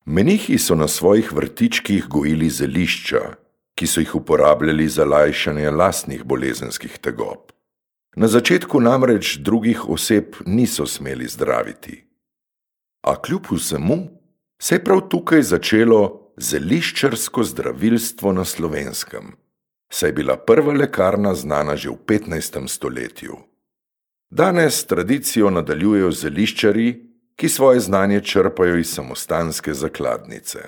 Menihi so na svojih vrtičkih gojili zelišča, ki so jih uporabljali za lajšanje lastnih bolezenskih tegob. Na začetku namreč drugih oseb niso smeli zdraviti. A kljub vsemu se je prav tukaj začelo zeliščarsko zdravilstvo na Slovenskem, saj je bila prva lekarna znana že v 15. stoletju. Danes tradicijo nadaljujejo zeliščarji, ki svoje znanje črpajo iz samostanske zakladnice.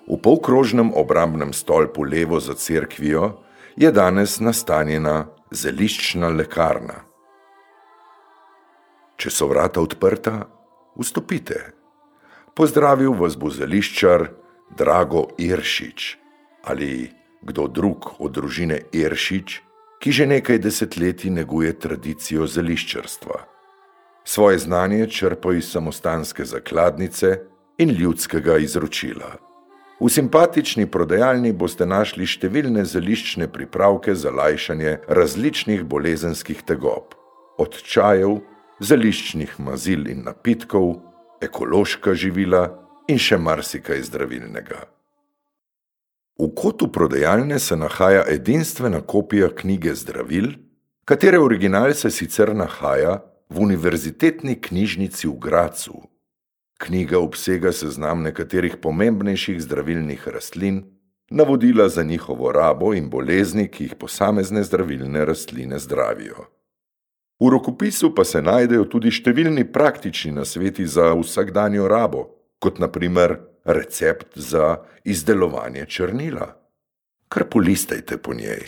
V polkrožnem obrambnem stolpu levo za cerkvijo je danes nastanjena zeliščna lekarna. Če so vrata odprta, vstopite. Pozdravil vas bo zeliščar Drago Iršič ali kdo drug od družine Iršič, ki že nekaj desetletij neguje tradicijo zeliščarstva. Svoje znanje črpa iz samostanske zakladnice in ljudskega izročila. V simpatični prodajalni boste našli številne zeliščne pripravke za lajšanje različnih bolezenskih tegob, od čajev, zeliščnih mazil in napitkov, ekološka živila in še marsikaj zdravilnega. V kotu prodajalne se nahaja edinstvena kopija knjige zdravil, katere original se sicer nahaja v Univerzitetni knjižnici v Gradcu. Knjiga obsega seznam nekaterih pomembnejših zdravilnih rastlin, navodila za njihovo rabo in bolezni, ki jih posamezne zdravilne rastline zdravijo. V rokopisu pa se najdejo tudi številni praktični nasveti za vsakdanjo rabo, kot na primer recept za izdelovanje črnila. Kar polistajte po njej.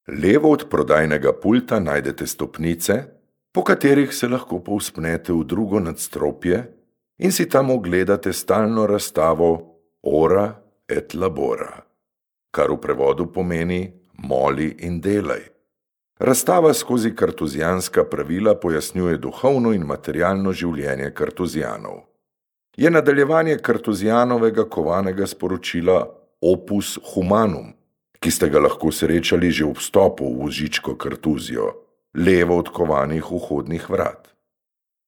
Levo od prodajnega pulta najdete stopnice, po katerih se lahko povzpnete v drugo nadstropje in si tam ogledate stalno razstavo Ora et labora, kar v prevodu pomeni moli in delaj. Razstava skozi kartuzijanska pravila pojasnjuje duhovno in materialno življenje kartuzijanov. Je nadaljevanje kartuzijanovega kovanega sporočila Opus Humanum, ki ste ga lahko srečali že ob vstopu v Vožičko kartuzijo, levo od kovanih vhodnih vrat.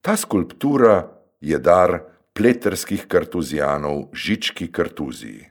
Ta skulptura je dar pleterskih kartuzijanov Žički kartuziji.